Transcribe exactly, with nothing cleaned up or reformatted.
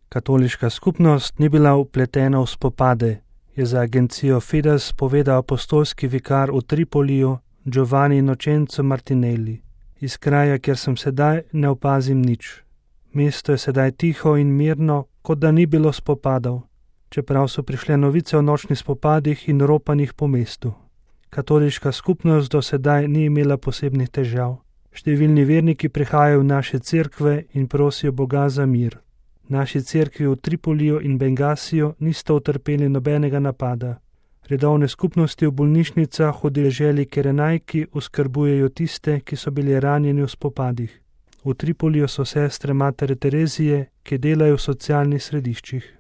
Katoliška skupnost ni bila vpletena v spopade, je za agencijo Fides povedal apostolski vikar v Tripoliju Giovanni Innocenzo Martinelli. Iz kraja, kjer sem sedaj, ne opazim nič. Mesto je sedaj tiho in mirno, kot da ni bilo spopadov, čeprav so prišle novice o nočnih spopadih in ropanjih po mestu. Katoliška skupnost do sedaj ni imela posebnih težav. Številni verniki prihajajo v naše cerkve in prosijo Boga za mir. Naši cerkvi v Tripoliju in Bengasiju nista utrpeli nobenega napada. Redovne skupnosti v bolnišnicah v deželi Kerenajki oskrbujejo tiste, ki so bili ranjeni v spopadih. V Tripoliju so sestre Matere Terezije, ki delajo v socialnih središčih.